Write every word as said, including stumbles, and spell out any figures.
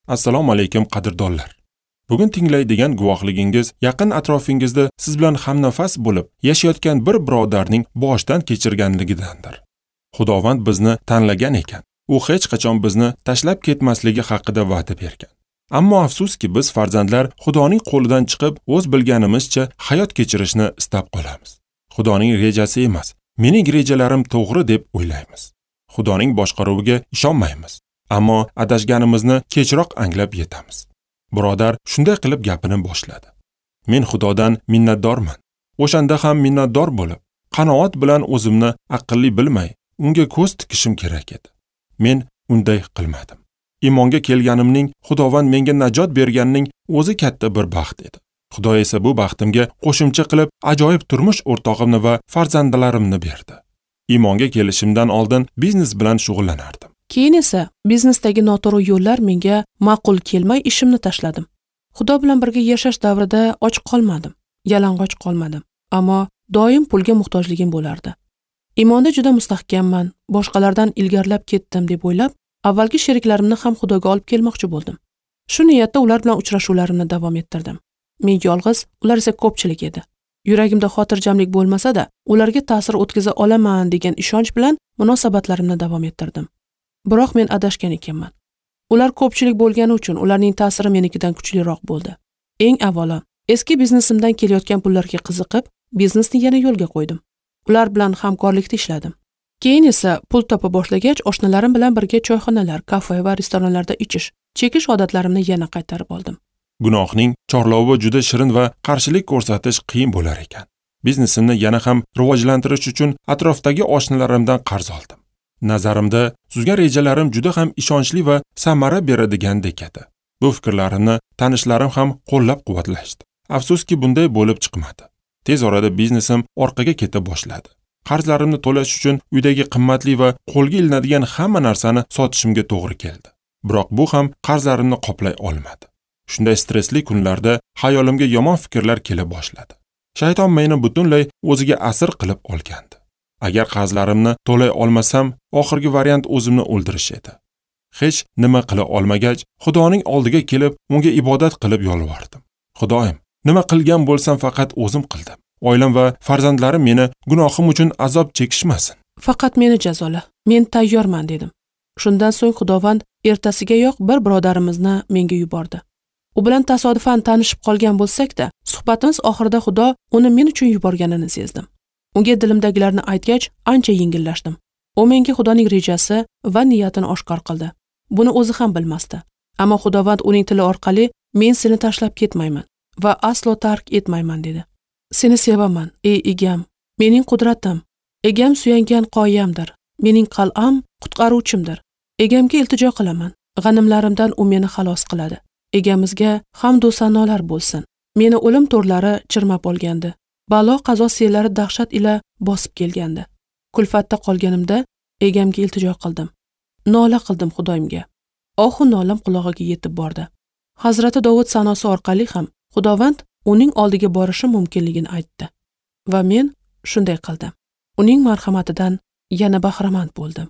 Assalomu alaykum qadrdonlar. Bugun tinglaydigan guvohligingiz yaqin atrofingizda siz bilan hamnafas bo'lib yashayotgan bir birodarning boshdan kechirganligidandir. Xudovand bizni tanlagan ekan. U hech qachon bizni tashlab ketmasligi haqida va'da bergan. Ammo afsuski biz farzandlar Xudoning qo'lidan chiqib, o'z bilganimizcha hayot kechirishni istab qolamiz. Xudoning rejasi emas, mening rejalarim to'g'ri deb o'ylaymiz. Xudoning boshqaruviga ishonmaymiz. Ammo adashganimizni kechroq anglab yetamiz. Birodar shunday qilib gapini boshladi. Men Xudodan minnatdorman. O'shanda ham minnatdor bo'lib, qanoat bilan o'zimni aqlli bilmay, unga ko'z tikishim kerak edi. Men unday qilmadim. Iymonga kelganimning, Xudovand menga najot berganining o'zi katta bir baxt edi. Xudo esa bu baxtimga qo'shimcha qilib ajoyib turmush o'rtog'imni va farzandlarimni berdi. Iymonga kelishimdan oldin biznes bilan shug'ullanardim. Keyin esa biznesdagi noto'g'ri yo'llar menga ma'qul kelmay ishimni tashladim. Xudo bilan birga yashash davrida och qolmadim, yalang'och qolmadim, ammo doim pulga muhtojligim bo'lardi. Iymonda juda mustahkamman, boshqalardan ilgarilab ketdim deb o'ylab, avvalgi sheriklarimni ham Xudoga olib kelmoqchi bo'ldim. Shu niyatda ular bilan uchrashuvlarimni davom ettirdim. Men yolg'iz, ular esa ko'pchilik edi. Yuragimda xotirjamlik bo'lmasa-da, ularga ta'sir o'tkaza olaman degan ishonch bilan munosabatlarimni davom ettirdim. Biroq men adashgan ekanman. Ular ko'pchilik bo'lgani uchun ularning ta'siri menikidan kuchliroq bo'ldi. Eng avvalo, eski biznesimdan kelayotgan pullarga qiziqib, biznesni yana yo'lga qo'ydim. Ular bilan hamkorlikda ishladim. Keyin esa pul topa boshlagach, oshnalarim bilan birga choyxonalar, kafe va restoranlarda ichish, chekish odatlarimni yana qaytarib oldim. Gunohning chorlovi juda shirin va qarshilik ko'rsatish qiyin bo'lar ekan. Biznesimni yana ham rivojlantirish uchun atrofdagi oshnalarimdan qarz oldim. Nazarimda tuzgan rejalarim juda ham ishonchli va samara beradigandek edi. Bu fikrlarimni tanishlarim ham qo'llab-quvvatlashdi. Afsuski bunday bo'lib chiqmadi. Tez orada biznesim orqaga keta boshladi. Qarzlarimni to'lash uchun uydagi qimmatli va qo'lga ilinadigan hamma narsani sotishimga to'g'ri keldi. Biroq bu ham qarzlarimni qoplay olmadi. Shunday stressli kunlarda hayolimga yomon fikrlar kela boshladi. Shayton meni butunlay o'ziga asir qilib olgandi. Agar qarzlarimni to'lay olmasam, oxirgi variant o'zimni o'ldirish edi. Hech nima qila olmagach, Xudoning oldiga kelib, unga ibodat qilib yolvordim. Xudoyim, nima qilgan bo'lsam faqat o'zim qildim. Oilam va farzandlarim meni gunohim uchun azob chekishmasin. Faqat meni jazola. Men tayyorman dedim. Shundan so'ng Xudovand ertasigayoq bir birodarimizni menga yubordi. U bilan tasodifan tanishib qolgan bo'lsak-da, suhbatimiz oxirida Xudo uni men uchun yuborganini sezdim. Unga dilimdagilarni aytgach, ancha yengillashdim. U menga Xudoning rejasi va niyatini oshkor qildi. Buni o'zi ham bilmasdi. Ammo Xudovand uning tili orqali men seni tashlab ketmayman va aslo tark etmayman dedi. Seni sevaman, ey egam, mening qudratim, egam suyangan qoyamdir, mening qal'am qutqaruvchimdir. Egamga iltijo qilaman, g'animlarimdan u meni xalos qiladi. Egamizga hamd va sanolar bo'lsin. Meni o'lim to'rlari chirmab olgandi. Balo qazo sellari dahshat ila bosib kelgandi. Kulfatda qolganimda egamga iltijo qildim. Nola qildim Xudoyimga. Ohu nolam qulog'iga yetib bordi. Hazrati Dovud sanosi orqali ham Xudovand uning oldiga borishim mumkinligini aytdi. Va men shunday qildim. Uning marhamatidan yana bahramand bo'ldim.